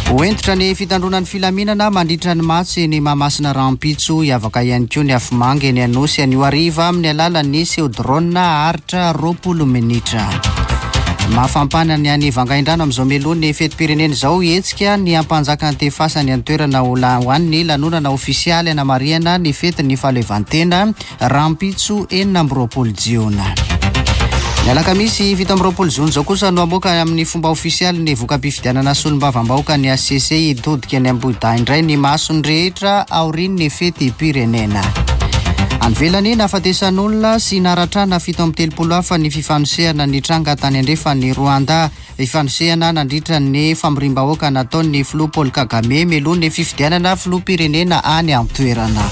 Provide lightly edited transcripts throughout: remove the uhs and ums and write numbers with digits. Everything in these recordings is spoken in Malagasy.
Ho hentitra ny fitandroana ny filaminana mandritra ny matso eny Mahamasina rahampitso. Hiavaka ihany koa ny afomanga eny Anosy anio hariva amin'ny alalan'ny seho drone haharitra 20 minitra. Mafampana ny any Vangaindrano amin'izao mialoha ny fetim-pirenena izao. Hetsika ny hampanjaka Antefasany an-toerana ho an'ny lanonana ofisialy hanamarihana ny fetin'ny fahaleovantena. rahampitso 26 jiona. Ny alakamisy 27 jona izao kosa no hamoaka amin'ny fomba ofisialy ny voka-pifidianana solombavambahoaka ny HCC. Hitodika any Ambohidahy indray ny mason'ny rehetra aorian'ny fetim-pirenena. Any ivelany, nahafatesan'olona sy naratrana 37 hafa ny fifanosehana nitranga tany andrefan'i Rwanda. Fifanosehana nandritra ny famoriam-bahoaka nataon'ny filoha Paul Kagame mialoha ny fifidianana filoham-pirenena any an-toerana.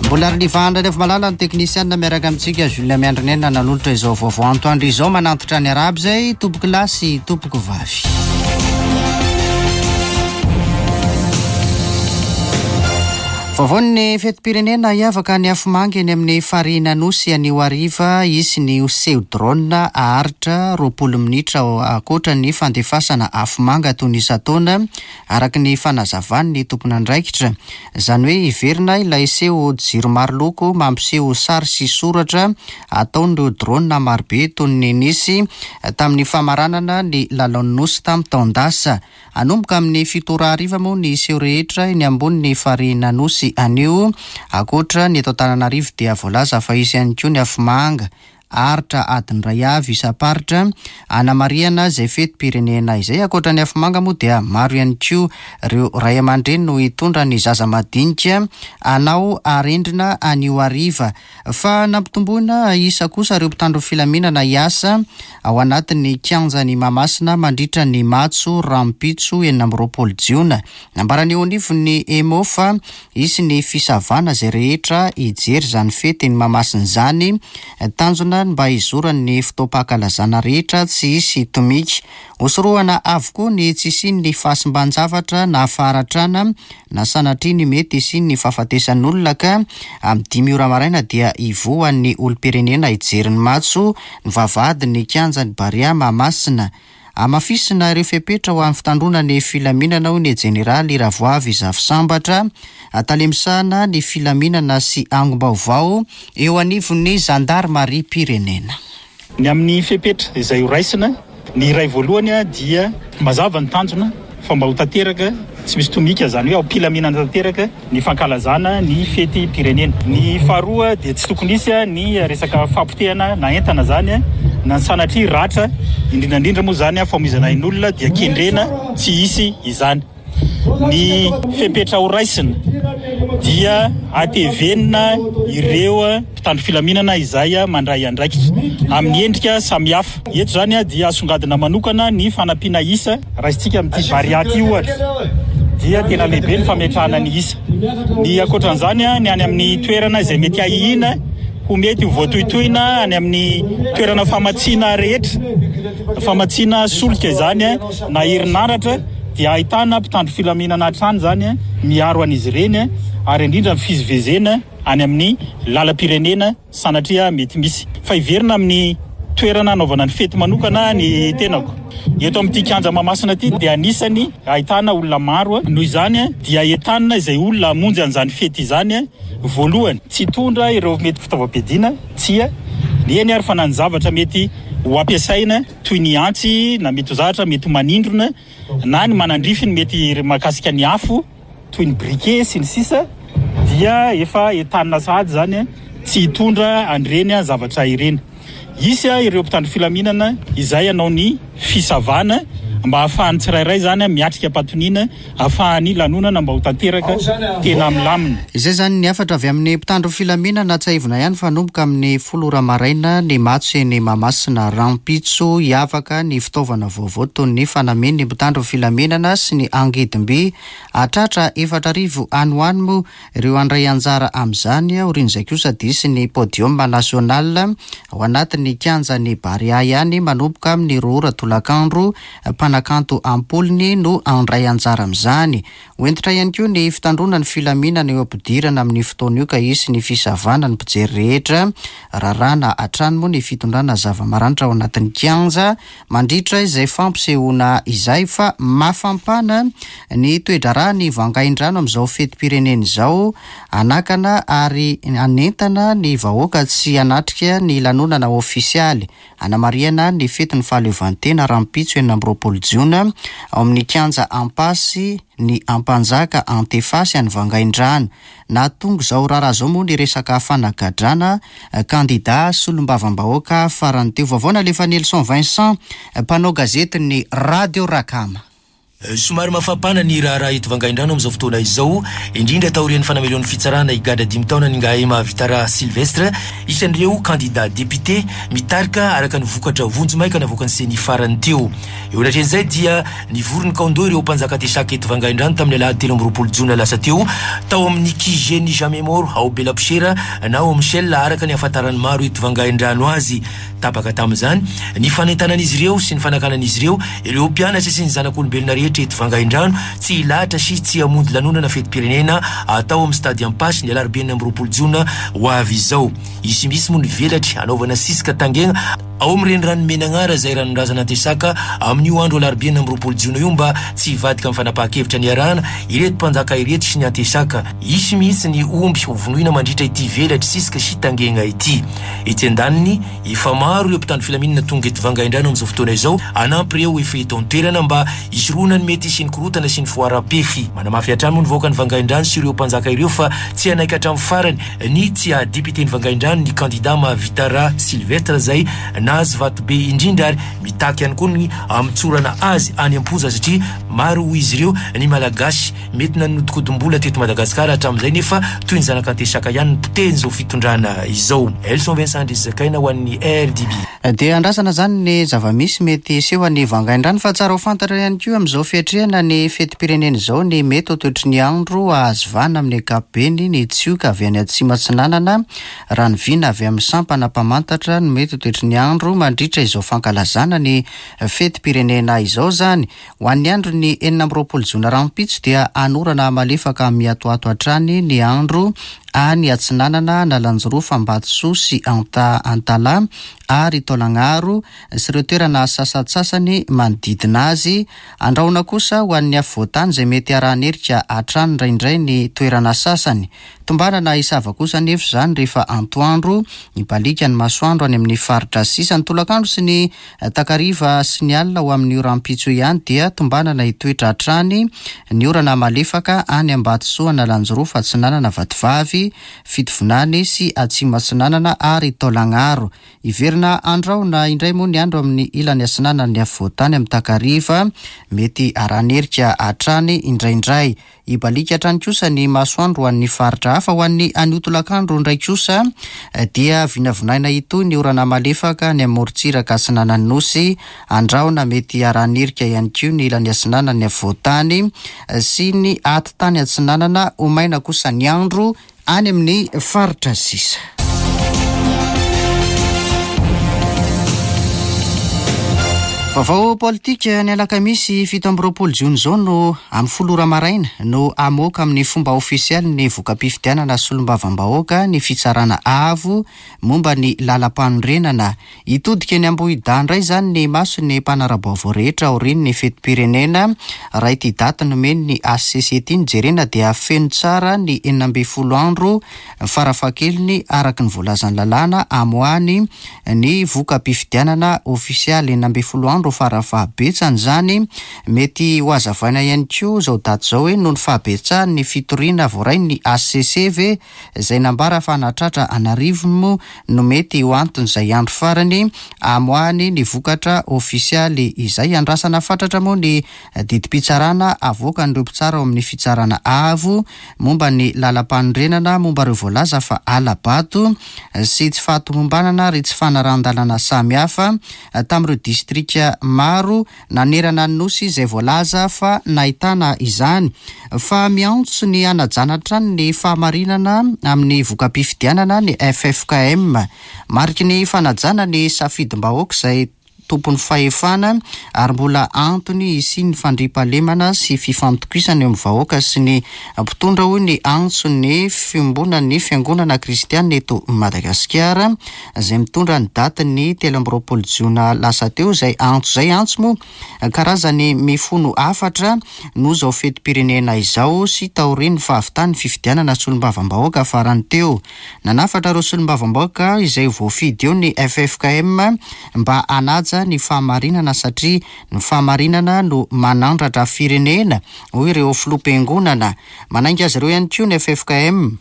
Mbola Rinivahan Raivomalala ny teknisianina miaraka amintsika Jules Miandrinena nanolotra izao vaovao antoandro izao manantitra ny arahaba izay tompoko lahy sy tompoko vavy. Vaovaon'ny fetim-pirenena, Hiavaka ny afomanga eny amin'ny farihin'Anosy anio hariva. Hisy ny seho drone haharitra 20 minitra ankoatra ny fandefasana afomanga toy ny isan-taona, araka ny fanazavan'ny tompon'andraikitra. Izany hoe hiverina ilay seho jiro maro loko mampiseho sary sy soratra ataon'ireo drone marobe toy ny nisy tamin'ny famaranana ny lalaon'ny Nosy tamin'ny taon-dasa. Hanomboka amin'ny fito ora hariva moa ny seho rehetra eny ambonin'ny farihin'Anosy anio. Ankoatra ny eto Antananarivo dia voalaza fa hisy ihany koa ny afomanga haharitra adiny iray avy isam-paritra hanamarihana izay fetim-pirenena izay. Ankoatra ny afomanga moa dia maro ihany koa ireo ray aman-dreny no hitondra ny zaza madinika hanao arendrina anio hariva. Fa nampitomboina isa kosa ireo mpitandro filaminana hiasa ao anatin'ny kianjan'i Mahamasina mandritra ny matso rahampitso 26 jiona. Nambaran'ny eo anivon'ny Emmo fa hisy ny fisavana izay rehetra hijery izany fety eny Mahamasina izany. Tanjona ny mba hizoran'ny fotoam-pankalazana rehetra tsy hisy tomika. Hosorohana avokoa ny tsy hisian'ny fahasimban-javatra na faharatrana na sanatria ny mety hisian'ny fahafatesan'olona ka amin'ny dimy ora maraina dia hivoha ny olom-pirenena hijery ny matso ny vavahadin'ny kianjan'ny Barea Mahamasina. Hamafisina ireo fepetra ho an'ny fitandroana ny filaminana hoy ny Jeneraly Ravoavy Zafisambatra, tale misahana ny filaminana sy angom-baovao eo anivon'ny zandarimariam-pirenena. Ny amin'ny fepetra izay ho raisina, ny iray voalohany dia mazava ny tanjona fa mba ho tanteraka tsy misy tomika, izany hoe ao am-pilaminana tanteraka ny fankalazana ny fetim-pirenena. Ny faharoa dia tsy tokony hisy ny resaka fahapotehana na entana izany na ny sanatria ratra, indrindra indrindra moa izany famoizana ain'olona dia kendrena tsy hisy izany. Ny fepetra ho raisina dia hatevenina ireo mpitandro filaminana izay mandray andraikitra amin'ny endrika samihafa. Eto izany dia asongadina manokana ny fanampiana isa. Raisintsika amin'ity Barea ity ohatra dia tena lehibe ny fametrahana ny isa. Ny ankoatran'izany ny any amin'ny toerana izay mety ahiana ho mety ho voatohitohina any amin'ny toerana famatsiana rehetra, famatsiana solika izany na herinaratra, dia ahitana mpitandro filaminana hatrany izany miaro an'izy ireny ary indrindra ny fizivezena any amin'ny lalam-pirenena sanatria mety misy. Fa hiverina amin'ny toerana hanaovana ny fety manokana ny tenako. Eto amin'ity kianja Mahamasina ity dia anisany ahitana olona maro, noho izany dia entanina izay olona hamonjy an'izany fety izany voalohany tsy hitondra ireo mety fitaovam-piadiana, tsia, eny ary fa na ny zavatra mety ho ampiasaina toy ny antsy na mety ho zatra, mety ho manindrona na ny manandrify ny mety mahakasika ny afo toy ny briquet sy ny sisa dia efa entanina sahady izany tsy hitondra an'ireny zavatra ireny. Hisy ireo mpitandro filaminana izay hanao ny fisavana mba hahafahan'ny tsirairay izany miatrika am-patoniana Ahafahan'ny lanonana mba ho tanteraka tena milamina. Izay izany ny hafatra avy amin'ny mpitandro filaminana. Tsiahivina ihany fa hanomboka amin'ny folo ora maraina ny matso eny Mahamasina rahampitso. Hiavaka ny fitaovana vaovao toy ny fanamian'ny mpitandro filaminana sy ny angidim-by. Hahatratra 4000 any ho any moa ireo handray anjara amin'izany. Aorian'izay kosa dia hisy ny podium national ao anatin'ny kianjan'ny Barea ihany manomboka amin'ny roa ora tolakandro. Mpanakanto am-polony no handray anjara amin'izany. Ho hentitra ihany koa ny fitandroana ny filaminana eo am-pidirana amin'io fotoana io ka hisy ny fisavana ny mpijery rehetra. Raràna hatrany moa ny fitondrana zava-maranitra ao anatin'ny kianja mandritra izay fampisehoana izay fa mafampana ny toe-draharaha ny Vangaindrano amin'izao fetim-pirenena izao hanakana ary hanentana ny vahoaka tsy hanatrika ny lanonana ofisialy Hanamarihana ny fetin'ny fahaleovantena rahampitso 26 jiona ao amin'ny kianja Ampasy ny Ampanjaka Antefasy any Vangaindrano. Nahatonga izao raharaha izao moa ny resaka fanagadrana kandida solombavambahoaka farany teo. Vaovao nalefan'i Elson Vincent, mpanao gazetin'ny Radio Rakama. Somary mafampana ny raharaha eto Vangaindrano amin'izao fotoana izao, indrindra taorian'ny fanamelohan'ny fitsarana higadra dimy taona an'Ingahy Mahavitara Sylvestre, isan'ireo kandida depite mitarika araka ny vokatra vonjimaika navoakan'ny Ceni farany teo. Eo anatrehan'izay dia nivory nikaon-doha ireo mpanjaka Tesaka eto Vangaindrano tamin'ny alahady 23 jona lasa teo, tao amin'ny QG-n'ny Jamais Mort ao Belapousera na ao Michel araka ny ahafantaran'ny maro eto Vangaindrano azy. Tapaka tamin'izany ny fanentanan'izy ireo sy ny fanakanan'izy ireo ireo mpianatra sy ny zanak'olombelona rehetra eto Vangaindrano tsy hilahatra sy tsy hamonjy lanonana fetim-pirenena atao amin'ny Stade Ampasy ny alarobia 26 jona ho avy izao. Hisy mihitsy moa ny velatry hanaovana sisika tangena ao amin'ny renirano Menagnara izay ranon-drazana Antesaka amin'io andro alarobia 26 jona io mba tsy hivadika amin'ny fanapahan-kevitra niarahana ireto mpanjaka ireto sy ny Antesaka. Hisy mihitsy ny omby hovonoina mandritra ity velatry sisika sy tangena ity. Etsy andaniny, efa maro ireo mpitandro filaminana tonga eto Vangaindrano amin'izao fotoana izao hanampy ireo efa eto an-toerana mba hisorohana ny mety hisian'ny korontana sy ny foaram-pefy. Manamafy hatrany moa ny vahoakan'i Vangaindrano sy ireo mpanjaka ireo fa tsy hanaiky hatramin'ny farany ny tsy haha depioten'i Vangaindrano ny kandida Mahavitara Sylvestre izay nahazo vato be indrindra ary mitaky ihany koa ny hamotsorana azy any am-ponja satria maro hoy izy ireo ny Malagasy Mety nanodikodim-bola teto Madagasikara hatramin'izay nefa toy ny zanak'Antesaka ihany ny potehin'izao fitondrana izao. Elson Vincent Andrizakaina ho an'ny RDB. Dia andrasana izany ny zava-misy mety hiseho any Vangaindrano fa tsara ho fantatra ihany koa amin'izao fiatrehana ny fetim-pirenena izao ny mety ho toetry ny andro hahazo vahana amin'ny ankapobeny ny tsioka avy any atsimo atsinanana raha ny vina avy amin'ny sampana mpamantatra ny mety ho toetry ny andro mandritra izao fankalazana ny fetim-pirenena izao izany. Ho an'ny andron'ny 26 jona rahampitso dia hanorana malefaka miatoato hatrany ny andro any Atsinanana, Analanjirofo, Ambatosoa sy Antalaha ary Taolagnaro sy ireo toerana sasantsasany manodidina azy. Andrahona kosa ho an'ny afovoantany izay mety harahan'erika hatrany indraindray ny toerana sasany. Tombanana hisava kosa anefa izany rehefa antoandro, hibaliaka ny masoandro any amin'ny faritra sisa. Ny tolakandro sy ny Takariva sy ny alina ho amin'io rahampitso io ihany dia tombanana hitoetra hatrany ny orana malefaka any Ambatosoa, Analanjirofo, Atsinanana, Vatovavy, Fitovinany sy Atsimo Atsinanana ary Taolagnaro. Hiverina handrahona indray moa ny andro amin'ny ilany atsinanan'ny afovoantany amin'ny takariva, mety haran'erika hatrany indraindray. Hibaliaka hatrany kosa ny masoandro ho an'ny faritra hafa. Ho an'ny anio tolakandro indray kosa dia vinavinaina hitohy ny orana malefaka any amin'ny morontsiraka atsinanan'ny Nosy. Andrahona mety hiaraha-nirika ihany koa ny ilany atsinanan'ny afovoan-tany sy ny atitany atsinanana. Ho maina kosa ny andro any amin'ny faritra sisa. Vaovao politika, ny alakamisy 27 jona izao no amin'ny 10 ora maraina no hamoaka amin'ny fomba ofisialy ny voka-pifidianana solombavambahoaka ny fitsarana avo momba ny lalampanorenana. Hitodika eny Ambohidahy indray izany ny mason'ny mpanara-baovao rehetra aorian'ny fetim-pirenena. Raha ity daty nomen'ny HCC ity no jerena dia feno tsara ny 16 andro farafahakeliny araka ny voalazan'ny lalàna amoahany ny voka-pifidianana ofisialy. 16 andro farafahabetsany izany. Mety hohazavaina ihany koa izao daty izao hoe noho ny fahabetsahan'ny fitoriana voarain'ny HCC ve izay nambara fa nahatratra an'arivony moa no mety ho anton'izay andro farany amoahany ny vokatra ofisialy izay. Andrasana fatratra moa ny didim-pitsarana avoakan'ireo mpitsara ao amin'ny Fitsarana Avo momba ny lalampanorenana momba ireo voalaza fa hala-bato sy tsy fahatomombanana ary tsy fanarahan-dalàna samihafa tamin'ireo distrika maro nanerana ny Nosy izay voalaza fa nahitana izany fa miantso ny hanajana hatrany ny fahamarinana amin'ny voka-pifidianana ny ffkm. Mariky ny fanajana ny safidim-bahoaka izay. tompon'ny fahefana ary mbola antony hisian'ny fandriampahalemana sy fifampitokisana eo amin'ny vahoaka sy ny mpitondra hoy ny antson'ny fiombonan'ny fiangonana kristiana eto Madagasikara izay mitondra ny datin'ny 23 jona lasa teo izay antso izay antso moa Karazany mifono hafatra noho izao fetim-pirenena izao sy taorian'ny fahavitan'ny fifidianana solombavambahoaka farany teo. Nanafatra ireo solombavambahoaka izay voafidy eo ny ffkm mba hanaja ny fahamarinana satria ny fahamarinana no manandratra firenena, hoy ireo filoham-piangonana. Manainga azy ireo ihany koa ny ffkm.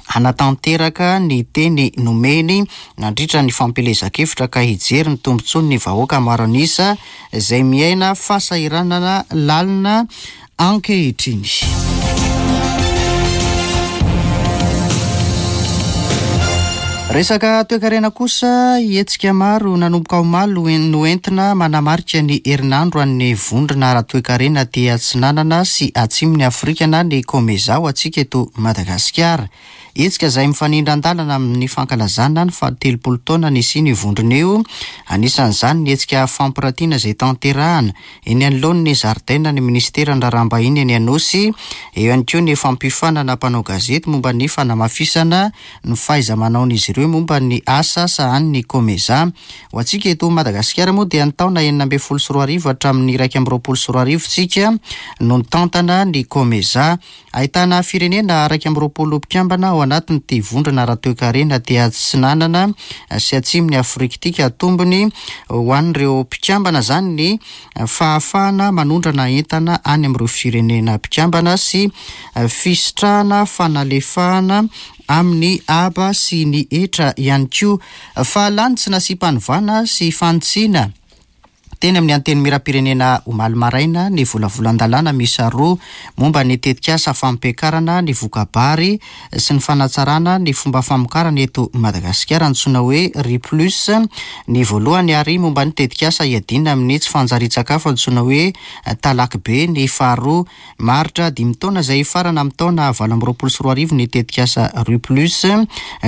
hanatanteraka ny teny nomeny nandritra ny fampielezan-kevitra ka hijery ny tombontsoan'ny vahoaka maro an'isa izay miaina fahasahiranana lalina ankehitriny. Resaka toekarena kosa, hetsika maro nanomboka omaly no entina manamarika ny herinandro an'ny vondrona ara-toekarena aty Atsinanana sy Atsimon'i Afrika na ny Comesa ho antsika eto Madagasikara. Hetsika izay mifanindran-dalana amin'ny fankalazana ny fahatelopolo taona nisian'io vondrona io. Anisan'izany ny hetsika fampiratiana izay tanterahana eny anoloan'ny zaridainan'ny minisiteran'ny Raharaham-bahiny eny Anosy. Eo ihany koa ny fampiofanana mpanao gazety momba ny fanamafisana ny fahaiza-manaon'izy ireo momba ny asa sahanin'ny Comesa. Ho antsika eto Madagasikara moa dia ny taona 2016 hatramin'ny 2021 isika no nitantana ny Comesa. Ahitana firenena 21 mpikambana ao anatin'ity vondrona ara-toekarena aty Atsinanana sy Atsimon'i Afrika ity ka tombony ho an'ireo mpikambana izany ny fahafahana manondrana entana any amin'ireo firenena mpikambana sy fisitrahana fanalefahana amin'ny haba sy ny hetra ihany koa. Fa lany tsy nasiam-panovana sy fanitsiana. Teny amin'ny Antenimierampirenena omaly maraina ny volavolan-dalàna miisa roa momba ny tetikasa fampiakarana ny voka-bary sy ny fanatsarana ny fomba famokarana eto Madagasikara antsoina hoe Riz Plus ny voalohany ary momba ny tetikasa hiadiana amin'ny tsy fanjarian-tsakafo antsoina hoe Talaky be ny faharoa. Maharitra dimy taona izay hifarana amin'ny taona 2028 ny tetikasa Riz Plus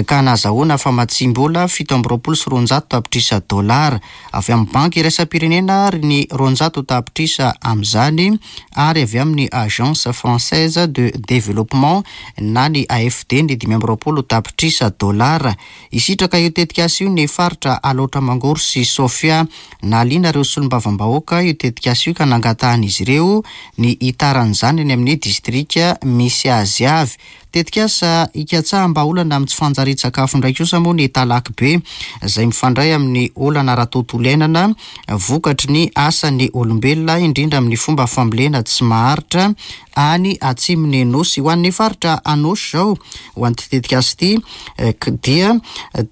ka nahazahoana famatsiam-bola 227 tapitrisa dolara. Avy amin'ny Banky iraisam-pirenena ary ny 200 tapitrisa amin'izany ary avy amin'ny Agence Française de Développement na ny AFD ny 25 tapitrisa dolara. Hisitraka io tetikasa io ny faritra Alaotra Mangoro sy Sofia. Nahaliana ireo solombavambahoaka io tetikasa io ka nangatahan'izy ireo ny hitaran'izany any amin'ny distrika misy azy avy. Tetikasa hikatsaham-bahaolana amin'ny tsy fanjarian-tsakafo indray kosa moa ny Talaky Be, izay mifandray amin'ny olana ara-tontolo iainana vokatry ny asan'ny olombelona, indrindra amin'ny fomba fambolena tsy maharitra any atsimon'ny Nosy. Ho an'ny faritra Anôsy izao, ho an'ity tetikasa ity, dia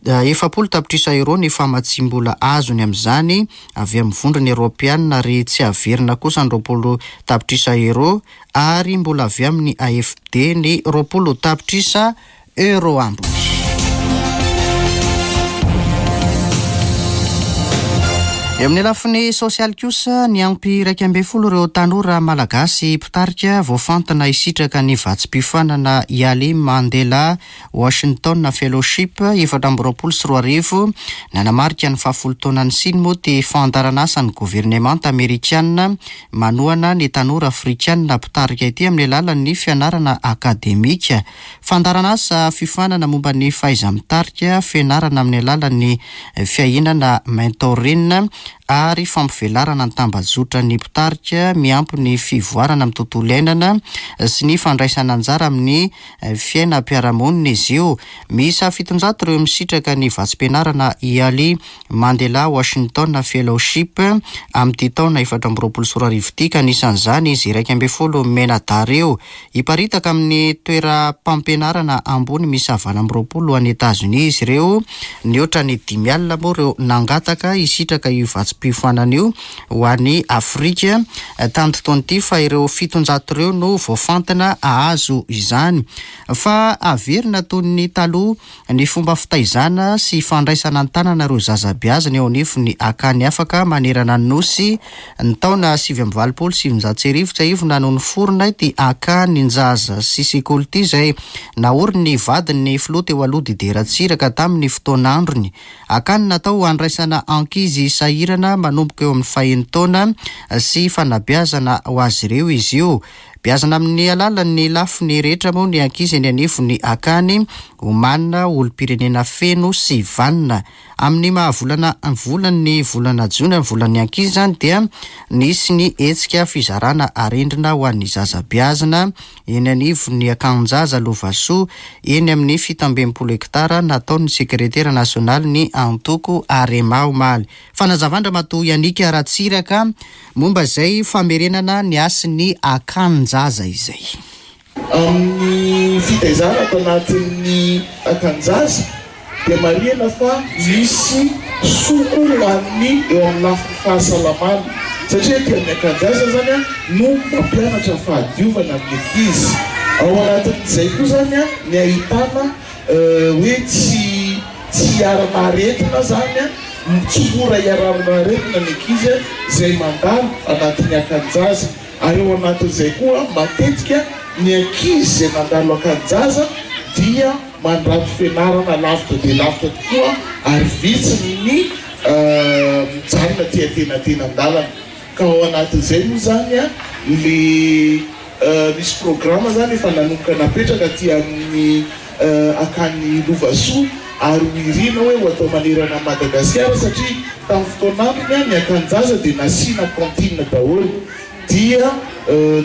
40 tapitrisa euros ny famatsiam-bola azony amin'izany avy amin'ny Vondrona Eoropeanina ary tsy averina kosa ny 20 tapitrisa euros ary mbola avy amin'ny AFD ny 20 tapitrisa euro ambiny. Eo amin'ny lafiny sosialy kosa, niampy 11 ireo tanora malagasy mpitarika voafantina hisitraka ny vatsim-piofanana Yali Mandela Washington Fellowship 2024. Nanamarika ny fahafolo taona nisiany moa ity fandaharanasan'ny governemanta amerikana Manohana ny tanora afrikana mpitarika ity amin'ny alalan'ny fianarana akademika. Fandaharanasa fiofanana momba ny fahaiza-mitarika, fianarana amin'ny alalan'ny fiahinana mentoring ary fampivelarana ny tambajotran'ny mpitarika miampy ny fivoarana amin'ny tontolo iainana sy ny fandraisana anjara amin'ny fiainam-piarahamonina izy io. Miisa 700 ireo misitraka ny vatsim-pianarana IALI Mandela Washington Fellowship amin'ity taona 2024 ity ka anisan'izany izy 11 mianadahy ireo. Hiparitaka amin'ny toeram-pampianarana ambony miisa 28 any Etazonia izy ireo. Nihoatra ny dimy alina moa ireo nangataka hisitraka io vatsim-piofanana io ho any Afrika tamin'ity taona ity fa ireo 700 ireo no voafantina hahazo izany. Fa averina toy ny taloha Ny fomba fitaizana sy fandraisana an-tanana ireo zaza beazina eo anivon'ny Akany Afaka manerana ny Nosy. Ny taona 1989, tsiahivina no niforona ity Akanin-jaza sy sekoly ity izay naorin'ny vadin'ny filoha teo aloha Didier Ratsiraka tamin'ny fotoan'androny. Akany natao handraisana ankizy sahirana. fanomanana manomboka eo amin'ny fahenin-taona sy fanabeazana ho azy ireo izy io. Beazina amin'ny alalan'ny lafiny rehetra moa ny ankizy eny anivon'ny akany, omanina ho olom-pirenena feno sy vanona. Amin'ny maha volana volan'ny volana jona ny volan'ny ankizy izany dia nisy ny hetsika fizarana arendrina ho an'ny zaza beazina eny anivon'ny akanin-jaza Lovasoa eny amin'ny 67 hektara nataon'ny sekretera nasionalin'ny antoko Arema omaly. Fanazavan-dRamatoa Yannick Ratsiraka momba izay famerenana ny hasin'ny akanin-jaza izay. Amin'ny fitaizana ato anatin'ny akan-jaza dia marihana fa misy soa koa ho an'ny eo amin'ny lafiny fahasalamana satria aty amin'ny akan-jaza izany no mampianatra fahadiovana amin'ny ankizy. Ao anatin'izay koa izany ny ahitana hoe tsy tsy hiarana aretina izany, tsy mora hiarana aretina ny ankizy izay mandalo anatin'ny akan-jaza. Ary ao anatin'izay koa, matetika ny ankizy izay nandalo akan-jaza dia mandrato fianarana lavitra dia lavitra tokoa ary vitsy ny mijanona aty antenatenan-dalana. Ka ao anatin'izay moa izany le misy programa izany efa nanomboka napetraka aty amin'ny Akany Lovasoa ary ho irina hoe ho atao manerana an'i Madagasikara satria tamin'ny fotoan'androny ny Akan-jaza dia nasiana cantine daholo dia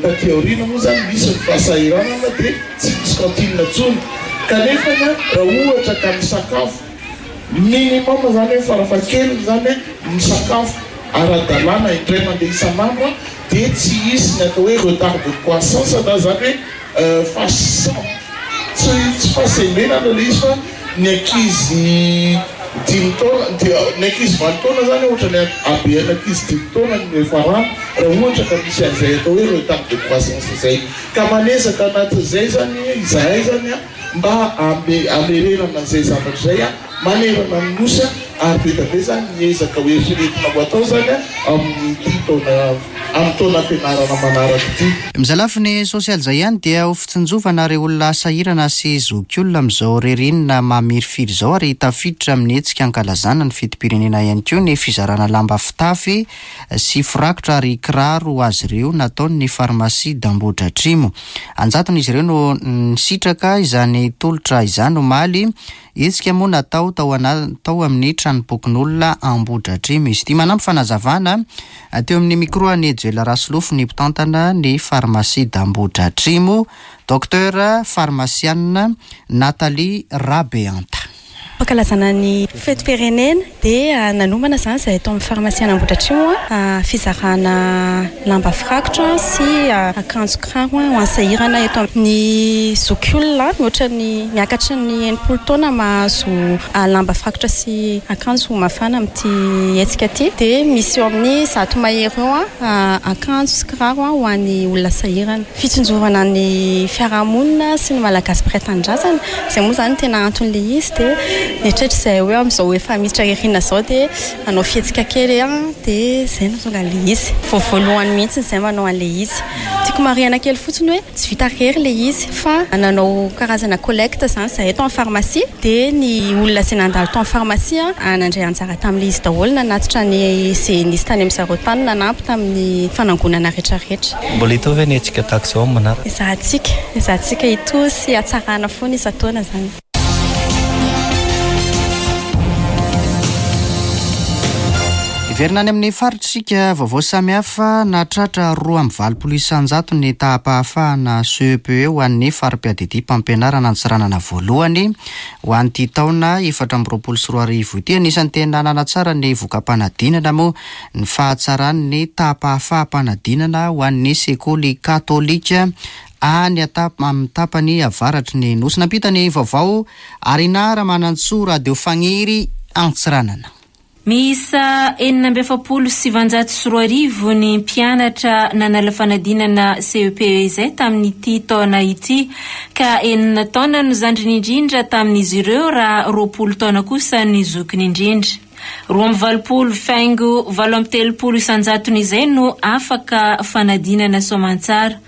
taty aoriana moa izany misy ny fahasahiranana dia tsy misy cantine intsony kanefany raha ohatra ka misakafo minimum izany hoe farafahakeliny izany misakafo ara-dalàna indray mandeha isan'andro dia tsy hisy ny atao hoe retard de croissance na izany hoe fahasam tsy tsy fahasembenana ilay izy fa ny ankizy dimy taona dia ny ankizy valo taona izany ohatra ny habean'ny ankizy dimy taona no hiafarana raha ohatra ka misy an'izay atao hoe retard de croissance izay ka manezaka anatin'izay izany izahay izany mba hamerenana an'izay zavatra izay manerana ny Nosy ary be dia be izany ny ezaka ho eritreretina ho atao izany amin'ity taona amin'ny taona fianarana manaraka ity. Amin'izay lafiny sosialy izay ihany dia ho fitsinjovana ireo olona sahirana sy zokiolona amin'izao ririnina mamirifiry izao ary tafiditra amin'ny hetsika ankalazana ny fetim-pirenena ihany koa ny fizarana lamba fitafy sy firakotra ary kiraro ho azy ireo nataon'ny farmasia d'Ambohidratrimo. An-jatony izy ireo no nisitraka izany tolotra izany omaly. Hetsika moa natao tao tao amin'ny tranompokonolona Ambohidratrimo izy ity. Manampy fanazavana teo amin'ny micro an'i Joel Rasolofo ny mpitantana ny farmasia d'Ambohidratrimo, Docteur farmasianina Nathalie Rabeanta. Fankalazana ny fetim-pirenena dia nanomana izany izahay tao amin'ny farmasian Ambohidratrimo fizarana lamba firakotra sy akanjo kiraro ho an'ny sahirana eto amin'ny zokiolona mihoatra ny miakatry ny 60 taona mahazo lamba firakotra sy akanjo mafana amin'ity hetsika ity dia misy eo amin'ny 100 mahery eo akanjo sy kiraro ho an'ny olona sahirana. Fitsinjovana ny fiarahamonina sy ny Malagasy mpiray tanindrazana, izay moa izany no tena anton'ilay izy dia nieritreritra izahay hoe amin'izao efa miditra ririnina izao dia hanao fihetsika kely dia izay no tonga an'ilay izy. Vao voalohany mihitsy izahay manao an'ilay izy. Tiako marihana kely fotsiny hoe tsy vita irery ilay izy fa nanao karazana collecte izany izahay tao amin'ny pharmacie dia ny olona izay nandalo tao amin'ny pharmacie nandray anjara tamin'ilay izy daholo nanatitra ny izay nisy tany amin-dry zareo tany nanampy tamin'ny fanangonana rehetrarehetra. Mbola hitohy ve ny hetsika tahaka izao amin'ny manaraka? Ezahantsika, ezahantsika hitohy sy hatsarana foana isan-taona izany. Hiverina any amin'ny faritra isika, vaovao samihafa, nahatratra 82% ny taham-pahafahana CEPE ho an'ny fari-piadidiam-pampianarana Antsiranana voalohany ho an'ity taona 2024 ity. Anisan'ny tena nanatsara ny voka-panadinana moa ny fahatsaran'ny taham-pahafaham-panadinana ho an'ny sekoly katolika any amin'ny tapany avaratry ny Nosy. Nampita ny vaovao Arinah Ramanantsoa, Radio Fagniry, Antsiranana. Miisa 2046 ny mpianatra nanala fanadinana CEPE izay tamin'ity taona ity, ka enina taona no zandriny indrindra tamin'izy ireo raha 20 taona kosa ny zokiny indrindra. 82 faingo 38 isan-jatony izay no afaka fanadinana soamantsara.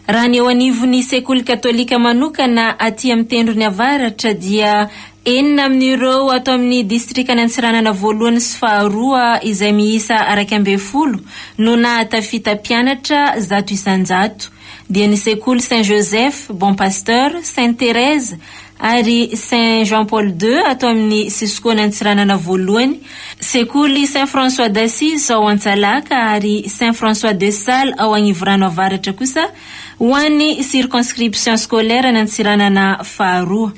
Raha ny eo anivon'ny sekoly katolika manokana aty amin'ny tendrony avaratra dia. Enina amin'ireo ato amin'ny distrikan'i Antsiranana voalohany sy faharoa izay miisa 11 no nahatafita mpianatra 100%, dia ny sekoly Saint Joseph, Bon Pasteur, Sainte Thérèse ary Saint Jean Paul ii ato amin'ny Cisco-n' Antsiranana voalohany, sekoly Saint François d'Assise ao Antsalaka ary Saint François de Sales ao Agnivorano Avaratra kosa ho an'ny circonscription scolaire an'Antsiranana faharoa.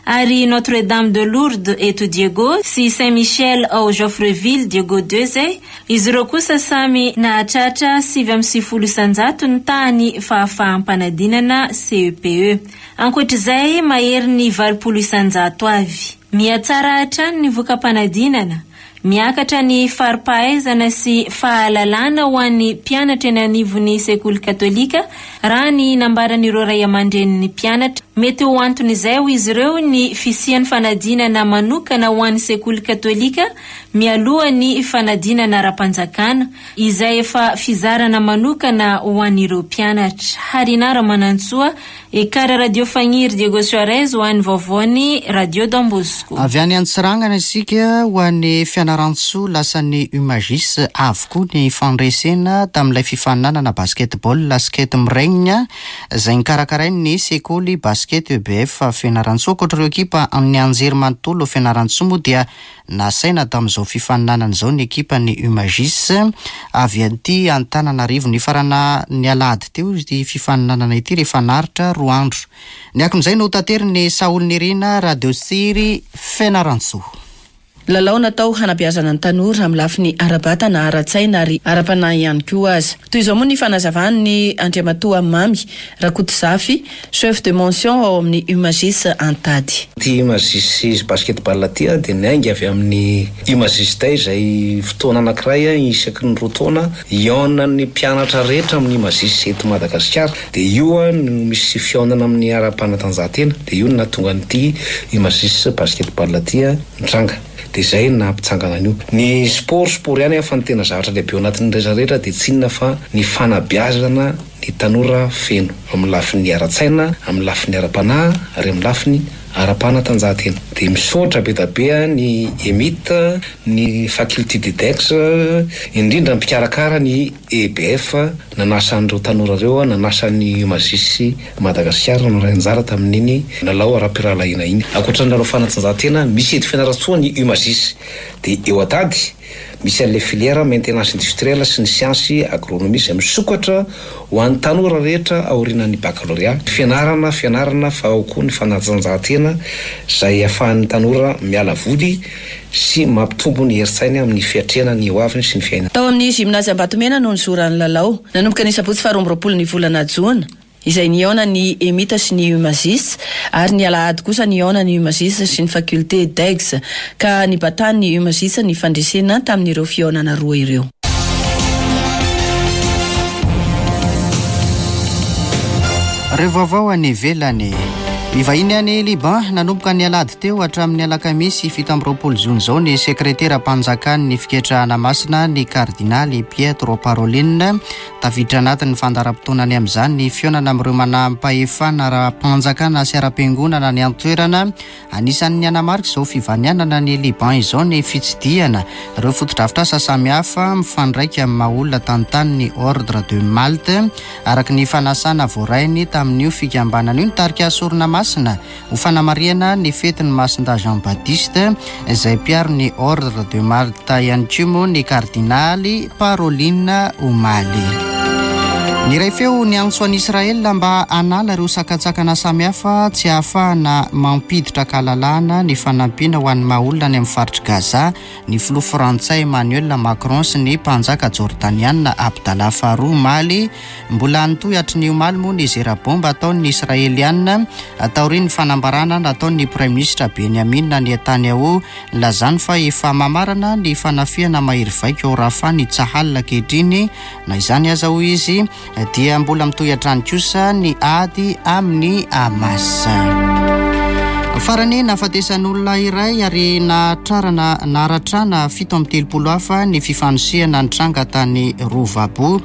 Ary Notre Dame de Lourdes eto Diego sy Saint Michel ao Joffreville Diego ii izay, izy ireo kosa samy nahatratra 99% ny tahan'ny fahafaham-panadinana CEPE. Ankoatra izay, maherin'ny 80% avy. Mihatsara hatrany ny voka-panadinana. Miakatra ny fari-pahaizana sy fahalalana ho an'ny mpianatra eny anivon'ny sekoly katolika, raha ny nambaran'ireo ray aman-drenin'ny mpianatra. Mety ho anton'izay, hoy izy ireo, ny fisian'ny fanadinana manokana ho an'ny sekoly katolika mialoha ny fanadinana ara-panjakana, izay efa fizarana manokana ho an'ireo mpianatra. Harina Ramanantsoa, Ekar Radio Fagniry Diego Suarez ho an'ny vaovaon'ny Radio Don Bosco. Avy any Antsiranana isika ho any Fianarantsoa lasan'ny Umagis avokoa ny fandresena tamin'ilay fifaninanana basketball Skate Miregna izay nokarakarain'ny sekoly basket EBF Fianarantsoa. Ankoatra ireo ekipa amin'ny anjerimanontolo Fianarantsoa moa dia Nasaina tamin'izao fifaninanana izao ny ekipan'ny Umagis avy aty Antananarivo. Nifarana ny alahady teo ity fifaninanana ity rehefa naharitra roa andro. Ny akon'izay no taterin'i Saholy Nirina, Radio Tsiry, Fianarantsoa. Lalao natao hanabeazana ny tanora amin'ny lafiny ara-batana, ara-tsaina ary ara-panahy ihany koa aza. Toy izao moa ny fanazavan'ny Andriamatoa Mamy Rakotozafy, Chef de mention ao amin'ny Umagis Antady. Ity Umagis Basketball ity dia niainga avy amin'ny Umagis Day izay fotoana anankiray isaky ny roa taona hihaonan'ny mpianatra rehetra amin'ny Umagis eto Madagasikara. Dia io no misy fihaonana amin'ny ara-panatanjahantena. Dia io no nahatonga an'ity Umagis Basketball ity nitranga. Dia izay no nampitsangana an'io. Ny sport, sport ihany fa ny tena zavatra lehibe ao anatin'ny rehetra rehetra dia tsy inona fa ny fanabeazana ny tanora feno, amin'ny lafiny ara-tsaina, amin'ny lafiny ara-panahy ary amin'ny lafiny ara-panatanjahantena. Dia misaotra be da be ny EMIT, ny Faculté de Dex, indrindra ny mpikarakara ny EBF nanasa an'ireo tanora ireo, nanasa ny Umagis Madagasikara nandray anjara tamin'iny lalao ara-pirahalahiana iny. Ankoatra ny lalao fanatanjahantena, misy eto Fianarantsoa ny Umagis. Dia eo Antady. Misy an'ilay filière maintenance industrielle sy ny siansy agronomie izay misokatra ho an'ny tanora rehetra aorianan'ny baccalauréat. Fianarana, fianarana fa ao koa ny fanatanjahantena izay ahafahan'ny tanora miala voly sy mampitombo ny herin-tsainy amin'ny fiatrehana ny hoaviny sy ny fiainana. Tao amin'ny Gymnase Ambatomena no nizoran'ny lalao. Nanomboka ny sabotsy faha 22 ny volana jona. izay nihaona ny Emita sy ny Umagis, ary ny alahady kosa nihaona ny Umagis sy ny Faculté d'Aix, ka nibatan'ny Umagis ny fandresena tamin'ireo fihaonana roa ireo. Ireo vaovao any ivelany. Nivahiny any Liban nanomboka ny alahady teo hatramin'ny alakamisy 27 jona izao ny sekreteram-panjakan'ny fiketrahana masina ny kardinaly Pietro Parolin. Tafiditra anatin'ny fandaharam-potoanany amin'izany ny fihaonana amin'ireo manam-pahefana ara-panjakana sy ara-piangonana any an-toerana. Anisan'ny hanamarika izao fivanianana any Liban izao ny fitsidihana ireo fotodrafitrasa samihafa mifandraika amin'ny maha olona tantanin'ny Ordre de Malte, araka ny fanasana voarainy tamin'io fikambanana io. Nitarika sorona masina Ho fanamarihana ny fetin'i Masindahy Jean Baptiste, izay mpiaro ny Ordre de Malte ihany koa moa ny Kardinaly Parolin omaly. Niray feo niantso an'i Israel mba hanala ireo sakantsakana samihafa tsy ahafahana mampiditra an-kalalahana ny fanampiana ho an'ny maha olona any amin'ny faritr'i Gaza ny filoha frantsay Emmanuel Macron sy ny mpanjaka jordaniana Abdallah faharoa omaly Mbola nitohy hatry ny omaly moa ny zera bomba ataon'ny Israeliana taorian'ny fanambarana nataon'ny Praiminisitra Benjamin Netanyahu nilazany fa efa mamarana ny fanafihana mahery vaika ao Rafah ny Tsahal ankehitriny. Na izany aza hoy izy dia mbola mitohy hatrany kosa ny ady amin'ny Hamas. Farany, nahafatesan'olona iray ary nahatrarana naharatrana 37 hafa ny fifanosehana nitranga tany Rubavu,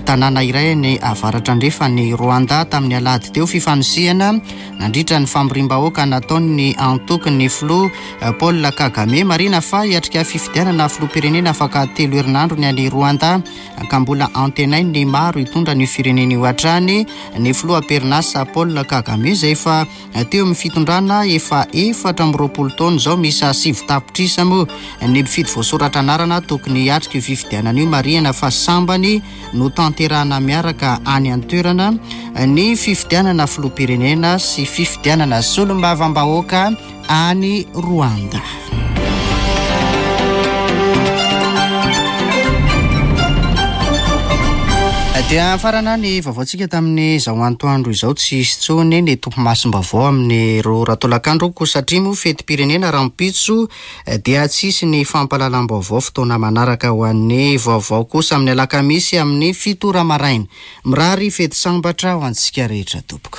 tanàna iray any avaratra andrefan'i Rwanda tamin'ny alahady teo. Fifanosehana nandritra ny famoriam-bahoaka nataon'ny antokon'ny filoha Paul Kagame. Marihina fa hiatrika fifidianana filoham-pirenena afaka telo herinandro ny any Rwanda ka mbola antenain'ny maro hitondra an'io firenena io hatrany ny filoha am-perinasa Paul Kagame izay efa teo amin'ny fitondrana efa 24 taona izao. Miisa 9 tapitrisa moa ny mpifidy voasoratra anarana tokony hiatrika io fifidianana io. Marihina fa sambany no tanterahana miaraka any an-toerana ny fifidianana filoham-pirenena sy fifidianana solombavambahoaka any Rwanda. Dia farana ny vaovaontsika tamin'izao antoandro izao. Tsy hisy intsony ny tompomasom-baovao amin'ny roa ora tolakandro koa satria moa fetim-pirenena rahampitso dia tsy hisy ny fampahalalam-baovao fotoana manaraka ho an'ny vaovao kosa amin'ny alakamisy amin'ny fito ora maraina. Mirary fety sambatra ho antsika rehetra tompoko.